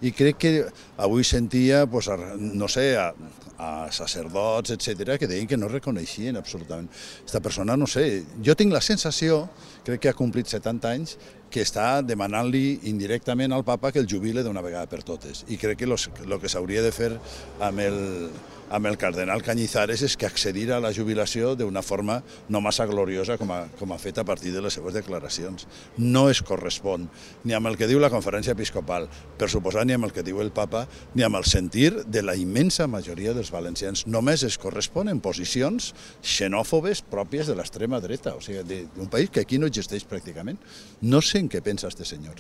I crec que avui sentia, no sé, a sacerdots, etc., que deien que no reconeixien absolutament. Aquesta persona, no sé, jo tinc la sensació, crec que ha complit 70 anys, que està demanant-li indirectament al papa que el jubile d'una vegada per totes. I crec que el que s'hauria de fer amb el cardenal Cañizares és que accedir a la jubilació d'una forma no massa gloriosa com ha fet a partir de les seves declaracions. No es correspon ni amb el que diu la conferència episcopal, per suposar ni amb el que diu el papa, ni amb el sentir de la immensa majoria dels valencians. Només es corresponen posicions xenòfobes pròpies de l'extrema dreta, o sigui, d'un país que aquí no existeix pràcticament. No sé en què pensa este senyor.